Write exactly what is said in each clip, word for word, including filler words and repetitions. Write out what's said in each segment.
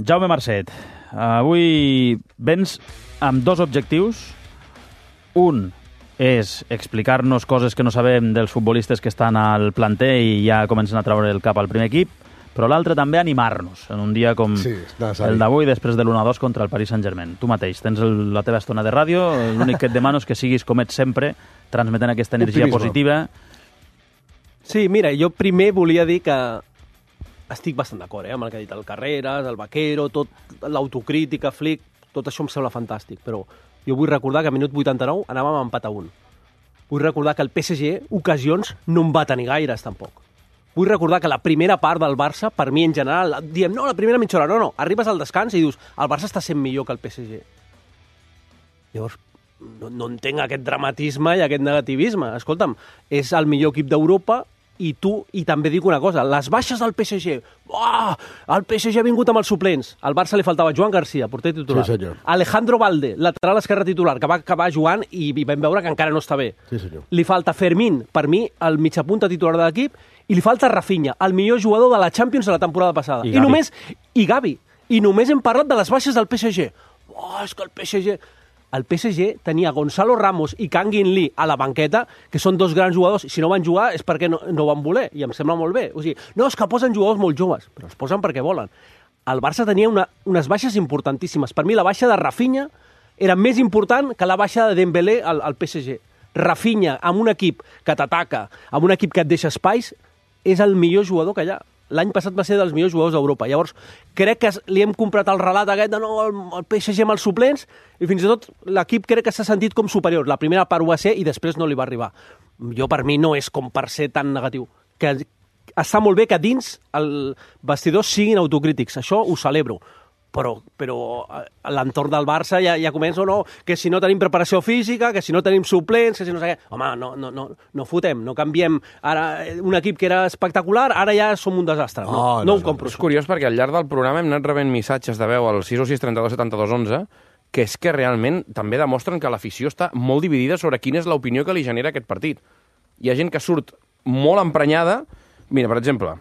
Jaume Marcet, avui vens amb dos objectius. Un és explicar-nos coses que no sabem dels futbolistes que estan al planter i ja comencen a treure el cap al primer equip, però l'altre també animar-nos en un dia com sí, el d'avui, després de l'u a dos contra el Paris Saint-Germain. Tu mateix tens el, la teva estona de ràdio, l'únic que et demano és que siguis com ets sempre, transmetent aquesta energia Optimisme. positiva. Sí, mira, jo primer volia dir que estic bastant d'acord eh, amb el que ha dit el Carreras, el Vaquero, tot l'autocrítica, Flick, tot això em sembla fantàstic, però jo vull recordar que a minut vuitanta-nou anàvem a empat a un. Vull recordar que el P S G, ocasions, no en va tenir gaires, tampoc. Vull recordar que la primera part del Barça, per mi en general, diem, no, la primera mitja hora, no, no, arribes al descans i dius, el Barça està sent millor que el P S G. Llavors, no, no entenc aquest dramatisme i aquest negativisme. Escolta'm, és el millor equip d'Europa i tu, i també dic una cosa, les baixes del P S G, oh, el P S G ha vingut amb els suplents, al Barça li faltava Joan Garcia, porter titular, sí, Alejandro Valde, lateral esquerre titular, que va acabar jugant i vam veure que encara no està bé. Sí, senyor. Li falta Fermín, per mi, el mitjapunta titular de l'equip, i li falta Rafinha, el millor jugador de la Champions de la temporada passada. I, I només, i Gavi. I només hem parlat de les baixes del P S G. Oh, és que el P S G... El P S G tenia Gonzalo Ramos i Kang In Lee a la banqueta, que són dos grans jugadors, i si no van jugar és perquè no, no van voler, i em sembla molt bé. O sigui, no, és que posen jugadors molt joves, però els posen perquè volen. El Barça tenia una, unes baixes importantíssimes. Per mi la baixa de Rafinha era més important que la baixa de Dembélé al, al P S G. Rafinha, amb un equip que t'ataca, amb un equip que et deixa espais, és el millor jugador que hi ha. L'any passat va ser dels millors jugadors d'Europa. Llavors, crec que li hem comprat el relat aquest de no, el, el P S G amb els suplents, i fins i tot l'equip crec que s'ha sentit com superior. La primera part ho va ser i després no li va arribar. Jo, per mi, no és com per ser tan negatiu. Que està molt bé que dins el vestidor siguin autocrítics. Això ho celebro. Però, però a l'entorn del Barça ja, ja comença, no, que si no tenim preparació física, que si no tenim suplents, que si no sé què... Home, no, no, no, no fotem, no canviem. Ara, un equip que era espectacular, ara ja som un desastre. No, oh, no, no ho ho compro. És curiós perquè al llarg del programa hem anat rebent missatges de veu al sis o sis trenta-dos setanta-dos onze que és que realment també demostren que l'afició està molt dividida sobre quina és l'opinió que li genera aquest partit. Hi ha gent que surt molt emprenyada. Mira, per exemple...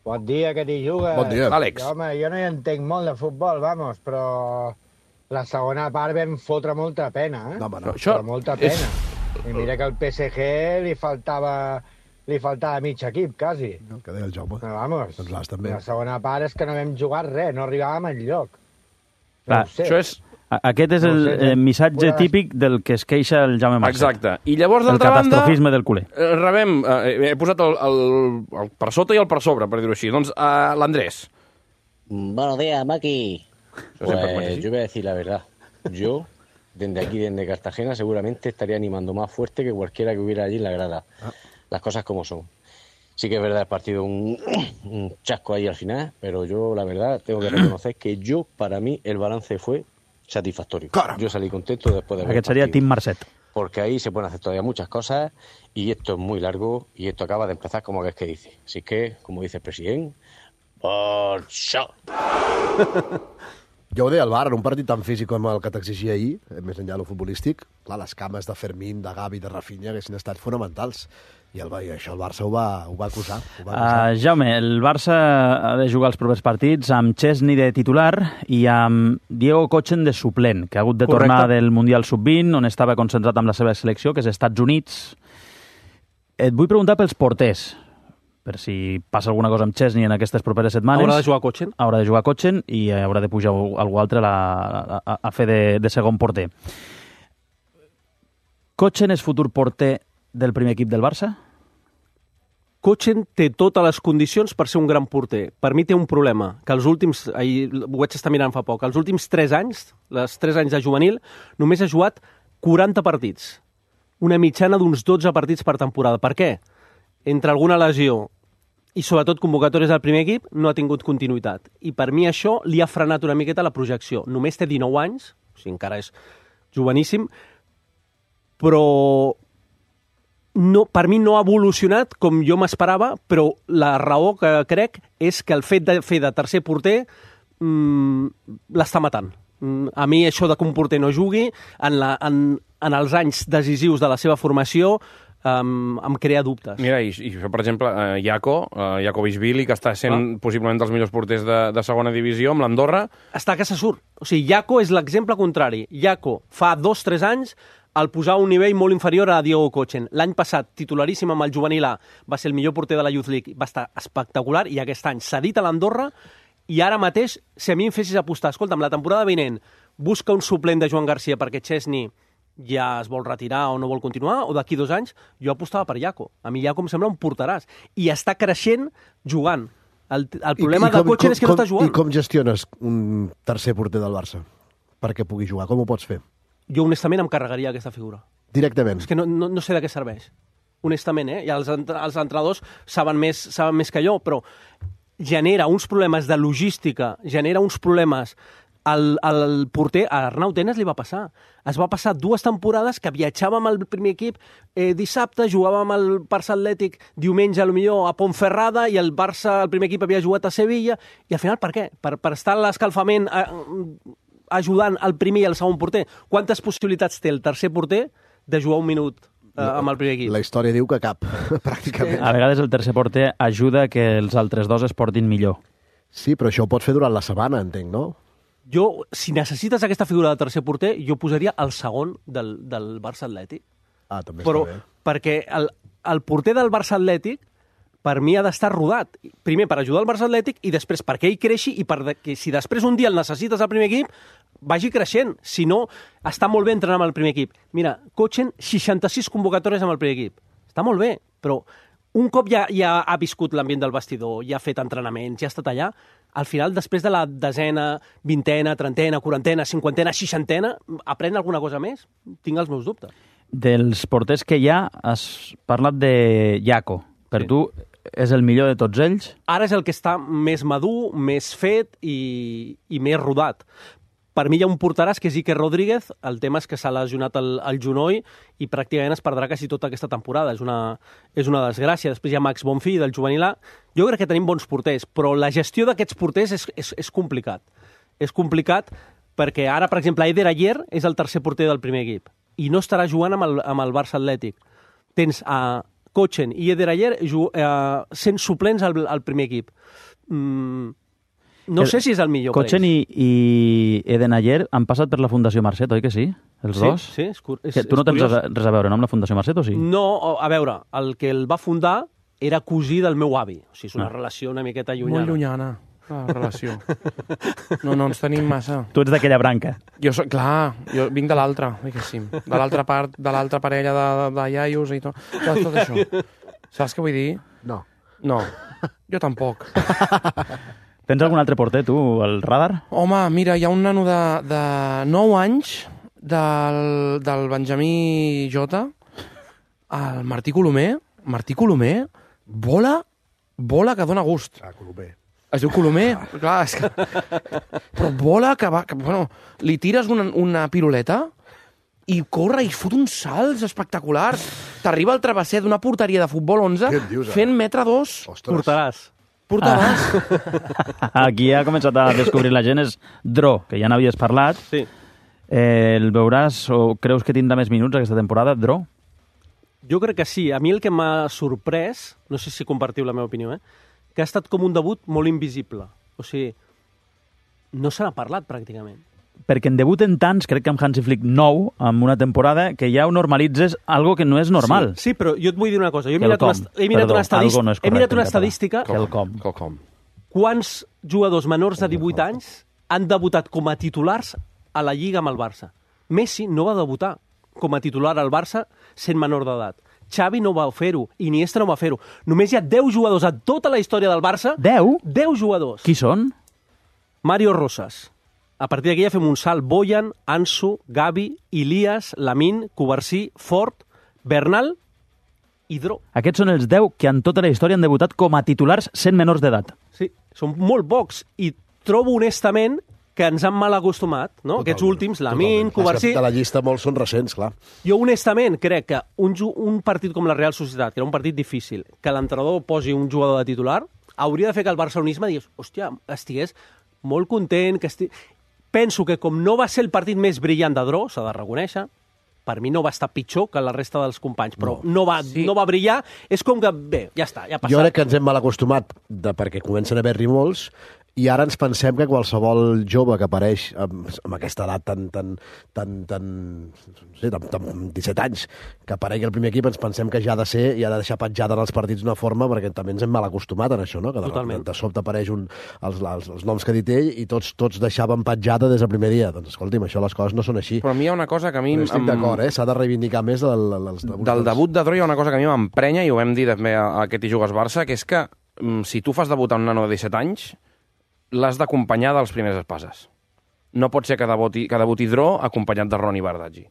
Bon dia, que t'hi jugues. Bon dia. Àlex. Jo, home, jo no hi entenc molt de futbol, vamos, però la segona part vam fotre molta pena, eh? No, home, no. Això però molta pena. És... I mira que al P S G li faltava, li faltava mig equip, quasi. El que deia el Jaume. No, vamos. Doncs l'As també. La segona part és que no vam jugar res, no arribàvem enlloc. Clar, no això és... Aquest és el eh, missatge Podràs... típic del que es queixa el Jaume Marcet. Exacte. I llavors, d'altra banda... El catastrofisme del culer. Eh, rebem... Eh, he posat el, el, el per sota i el per sobre, per dir-ho així. Doncs eh, l'Andrés. Buenos días, Maki. Pues yo voy a decir la verdad. Yo, desde aquí, desde Cartagena, seguramente estaría animando más fuerte que cualquiera que hubiera allí en la grada. Ah. Las cosas como son. Sí que es verdad, el partido un, un chasco ahí al final, pero yo, la verdad, tengo que reconocer que yo, para mí, el balance fue satisfactorio. Caramba. Yo salí contento después de ver el partido. Aquest seria Tim Marcet. Porque ahí se pueden hacer todavía muchas cosas y esto es muy largo y esto acaba de empezar como que es que dice. Así que, como dice el presidente, Barça. Jo ho deia al bar, en un partit tan físic com el que t'exigia ahir, més enllà de lo futbolístic, clar, les cames de Fermín, de Gavi, de Rafinha haguessin estat fonamentals. I, el, i això el Barça ho va, ho va acusar. Ho va acusar. Uh, Jaume, el Barça ha de jugar els propers partits amb Chesney de titular i amb Diego Kochen de suplent, que ha hagut de Correcte. tornar del Mundial sub vint, on estava concentrat amb la seva selecció, que és Estats Units. Et vull preguntar pels porters, per si passa alguna cosa amb Chesney en aquestes properes setmanes. Haurà de jugar Kochen. Haurà de jugar Kochen i haurà de pujar algú altre a, a, a, a fer de, de segon porter. Kochen és futur porter del primer equip del Barça? Kochen té totes les condicions per ser un gran porter. Per mi té un problema, que els últims, ahir ho vaig estar mirant fa poc, els últims tres anys, les tres anys de juvenil, només ha jugat quaranta partits. Una mitjana d'uns dotze partits per temporada. Per què? Entre alguna lesió i sobretot convocatòries del primer equip, no ha tingut continuïtat. I per mi això li ha frenat una miqueta la projecció. Només té dinou anys, o sigui, encara és joveníssim, però no, per mi no ha evolucionat com jo m'esperava, però la raó que crec és que el fet de fer de tercer porter mmm, l'està matant. A mi això de que un porter no jugui, en, la, en, en els anys decisius de la seva formació, um, em crea dubtes. Mira, i, i per exemple, uh, Jaco, uh, Jakovishvili, que està sent ah. possiblement dels millors porters de, de segona divisió amb l'Andorra. Està que se surt. O sigui, Jaco és l'exemple contrari. Jaco, fa dos o tres anys, el posar a un nivell molt inferior a Diego Kochen. L'any passat, titularíssim amb el juvenil A, va ser el millor porter de la Youth League, va estar espectacular, i aquest any s'ha dit a l'Andorra, i ara mateix, si a mi em fessis apostar, escolta'm, la temporada vinent, busca un suplent de Joan Garcia perquè Chesney ja es vol retirar o no vol continuar, o d'aquí dos anys, jo apostava per Jaco. A mi Jaco em sembla un porteràs. I està creixent jugant. El, el problema I, i com, de Kochen és que com, no està jugant. I com gestiones un tercer porter del Barça perquè pugui jugar? Com ho pots fer? Jo, honestament, em carregaria aquesta figura. Directament? És que no, no, no sé de què serveix. Honestament, eh? I els, els entrenadors saben més, saben més que jo, però genera uns problemes de logística, genera uns problemes... El, el porter, a Arnau Tenas li va passar. Es va passar dues temporades que viatjava amb el primer equip eh, dissabte, jugava amb el Barça Atlètic diumenge, potser a Pontferrada, i el Barça, el primer equip, havia jugat a Sevilla, i al final per què? Per, per estar a l'escalfament eh, ajudant el primer i el segon porter. Quantes possibilitats té el tercer porter de jugar un minut eh, amb el primer equip? La història diu que cap, pràcticament. A vegades el tercer porter ajuda que els altres dos es portin millor. Sí, però això ho pots fer durant la setmana, entenc, no? Jo, si necessites aquesta figura de tercer porter, jo posaria el segon del, del Barça Atlètic. Ah, també Però, està bé. perquè el, el porter del Barça Atlètic, per mi, ha d'estar rodat. Primer, per ajudar el Barça Atlètic, i després perquè ell creixi, i perquè si després un dia el necessites al primer equip, vagi creixent. Si no, està molt bé entrenar amb el primer equip. Mira, Kochen, seixanta-sis convocatòries amb el primer equip. Està molt bé, però un cop ja, ja ha viscut l'ambient del vestidor, ja ha fet entrenaments, ja ha estat allà, al final, després de la desena, vintena, trentena, quarantena, cinquantena, seixantena, aprèn alguna cosa més? Tinc els meus dubtes. Dels porters que hi ha, has parlat de Jaco. Per Sí. tu, és el millor de tots ells? Ara és el que està més madur, més fet i, i més rodat. Per mi hi ha un porteràs que és Iker Rodríguez, el tema és que s'ha lesionat el, el genoll i pràcticament es perdrà quasi tota aquesta temporada. És una, és una desgràcia. Després hi ha Max Bonfí, del juvenil A. Jo crec que tenim bons porters, però la gestió d'aquests porters és, és, és complicat. És complicat perquè ara, per exemple, Eder Ayer és el tercer porter del primer equip i no estarà jugant amb el, amb el Barça Atlètic. Tens a Kochen i Eder Ayer eh, sent suplents al, al primer equip. Mm, No El, sé si és el millor Kochen i, i Eden Ayer han passat per la Fundació Marcet, oi que sí? Els sí, dos? Sí, és, cur és, que tu no és tens curiós. res a veure no, amb la Fundació Marcet, o sí? No, a veure, el que el va fundar era cosí del meu avi. O sigui, és una ah. relació una miqueta llunyana. Molt llunyana, la relació. No, no ens tenim massa. Tu ets d'aquella branca. Jo soc, clar, jo vinc de l'altra, diguéssim. De l'altra part, de l'altra parella de, de, de iaios i tot. Tot, tot això. Saps què vull dir? No. No, jo tampoc. Tens algun altre porter, tu, al radar? Home, mira, hi ha un nano de, de nou anys del, del Benjamí Jota, el Martí Colomer. Martí Colomer vola, vola que dona gust. Ah, Colomer. Es diu Colomer, ah. Clar, és que... Però vola que va... Que, bueno, li tires una, una piruleta i corre i fot uns salts espectaculars. T'arriba al travesser d'una porteria de futbol onze dius, fent metre dos. Ostres. Portaràs. Portaràs. Ah. Aquí ha començat a descobrir la gent és Dro, que ja n'havies parlat. Sí. Eh, el veuràs o creus que tindrà més minuts aquesta temporada, Dro? Jo crec que sí. A mi el que m'ha sorprès, no sé si compartiu la meva opinió, eh? que ha estat com un debut molt invisible. O sigui, no se n'ha parlat pràcticament. Perquè en debuten tants, crec que amb Hansi Flick nou, amb una temporada, que ja ho normalitzes algo que no és normal. Sí, sí, però jo et vull dir una cosa. Jo he Quelcom. mirat una, he mirat Perdó, una, estadist... algo no és he mirat correcte una en català. estadística. Quelcom. Quelcom. Quants jugadors menors de divuit anys han debutat com a titulars a la Lliga amb el Barça? Messi no va debutar com a titular al Barça sent menor d'edat. Xavi no va fer-ho, Iniesta no va fer-ho. Només hi ha deu jugadors a tota la història del Barça. Deu? deu jugadors. Qui són? Mario Rosas. A partir d'aquí ja fem un salt. Boyan, Ansu, Gavi, Ilias, Lamin, Covarsí, Fort, Bernal i Dro. Aquests són els deu que en tota la història han debutat com a titulars sent menors d'edat. Sí, són molt pocs. I trobo honestament que ens han mal acostumat, no? Totalment, Aquests últims, Lamin, Covarsí... De la llista molts són recents, clar. Jo honestament crec que un, un partit com la Real Societat, que era un partit difícil, que l'entrenador posi un jugador de titular, hauria de fer que el barcelonisme digués, hòstia, estigués molt content, que esti... Penso que com no va ser el partit més brillant de Dro, s'ha de reconèixer, per mi no va estar pitjor que la resta dels companys, però No. no, va, Sí. no va brillar. És com que, bé, ja està, ja ha passat. Jo crec que ens hem mal acostumat de, perquè comencen a haver-hi molts i ara ens pensem que qualsevol jove que apareix amb, amb aquesta edat tan, tan, tan, tan, no sé, tan, tan disset anys, que aparegui al primer equip, ens pensem que ja ha de ser i ha de deixar petjada en els partits d'una forma, perquè també ens hem mal acostumat en això, no? Que de, Totalment. de, de sobte apareix un, els, els, els noms que ha dit ell i tots, tots deixaven petjada des del primer dia. Doncs escolti'm, això les coses no són així. Però a mi hi ha una cosa que a mi... Però estic em- d'acord, eh? S'ha de reivindicar més el, el, els debuts. Del debut de Dro hi ha una cosa que a mi m'emprenya, i ho vam dir també a aquest i jugues Barça, que és que mm, si tu fas debutar un nano de disset anys, l'has d'acompanyar dels primers espases. No pot ser que debuti, que debuti Dro acompanyat de Ronny Bardaggi.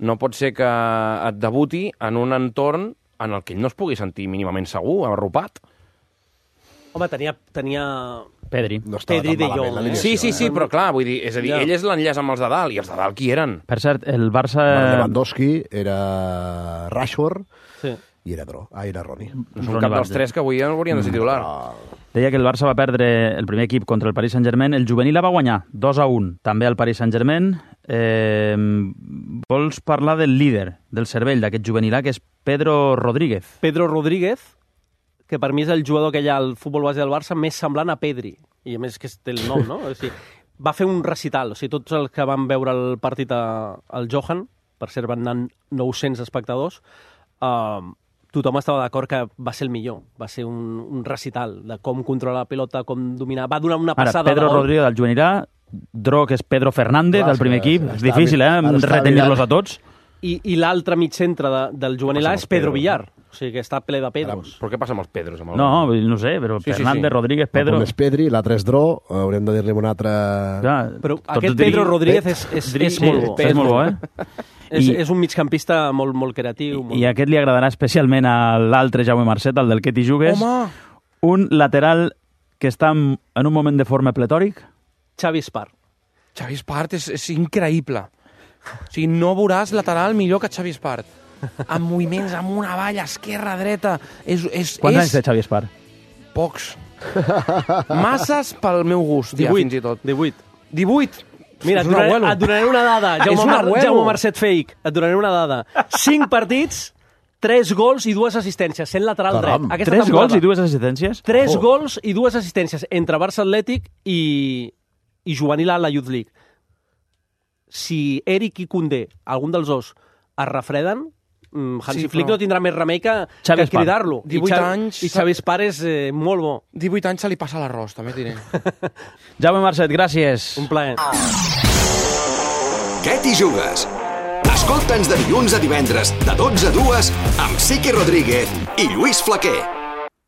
No pot ser que et debuti en un entorn en el que ell no es pugui sentir mínimament segur, arropat. Home, tenia... tenia... Pedri. No estava Pedri tan de malament Jong, l'alineació, Sí, sí, sí, eh? però clar, vull dir, és a dir, Ja. ell és l'enllaç amb els de dalt, i els de dalt qui eren? Per cert, el Barça... Era Lewandowski, era Rashford Sí. i era Dro. Ah, era Ronny. No són Ronny cap dels Bardaggi. tres que avui haurien de ser titular. Deia que el Barça va perdre el primer equip contra el Paris Saint-Germain. El juvenil la va guanyar dos a un, també al Paris Saint-Germain. Eh, vols parlar del líder del cervell d'aquest juvenil, que és Pedro Rodríguez. Pedro Rodríguez, que per mi és el jugador que hi ha al futbol base del Barça més semblant a Pedri. I a més que és el nom, no? O sigui, va fer un recital. O sigui, tots els que van veure el partit a, al Johan, per cert, van anar nou-cents espectadors, uh, tothom estava d'acord que va ser el millor. Va ser un, un recital de com controlar la pilota, com dominar... Va donar una Ara, passada Pedro de gol. Rodríguez del juvenil A, Dro, que és Pedro Fernández, Clar, del primer sí, equip. està És difícil, eh, ara està retenir-los mirant. a tots. I, i l'altre mig centre de, del juvenil A Passa és amb els Pedro Pedros, Villar. O sigui, que està ple de Pedros. Però què passa amb els Pedros? Amb el... No, vull dir, no sé, però Sí, sí, Fernández, sí. Rodríguez, Pedro... Un és Pedri, l'altre és Dro, haurem de dir-li un altre... Clar, Però tots aquest diri- Pedro Rodríguez és, és, diri- és sí, molt bo. és molt bo, eh? És, I- és un migcampista molt, molt creatiu. Molt... I aquest li agradarà especialment a l'altre Jaume Marcet, el del que t'hi jugues. Home! Un lateral que està en en un moment de forma pletòric. Xavi Espar. Xavi Espart és, és increïble. O sigui, no veuràs lateral millor que Xavi Espart. Amb moviments amunt, avall, esquerra, dreta. És, és, Quants és... anys té Xavi Espar? Pocs. Masses pel meu gust, ja, fins i tot. divuit. divuit. Mira, és et un donaré, abuelo. et donaré una dada. És Jaume, un Mar abuelo. Jaume Marcet Fake. Et donaré una dada. Cinc partits, tres gols i dues assistències, sent lateral Caram. dret. Aquesta Tres temporada. gols i dues assistències? Tres Oh. gols i dues assistències entre Barça Atlètic i, i juvenil a la Youth League. Si Eric i Koundé, algun dels dos, es refreden, mm, Hansi Sí, Flick però- no tindrà més remei que, Xavi que Espar. cridar-lo. I divuit Xavi- anys. I Xavi Espar és eh, molt bo. divuit anys se li passa l'arròs, també et diré. Jaume Marcet, gràcies. Un plaer. Què t'hi jugues? Escolta'ns de dilluns a divendres, de dotze a dues, amb Siqui Rodríguez i Lluís Flaquer.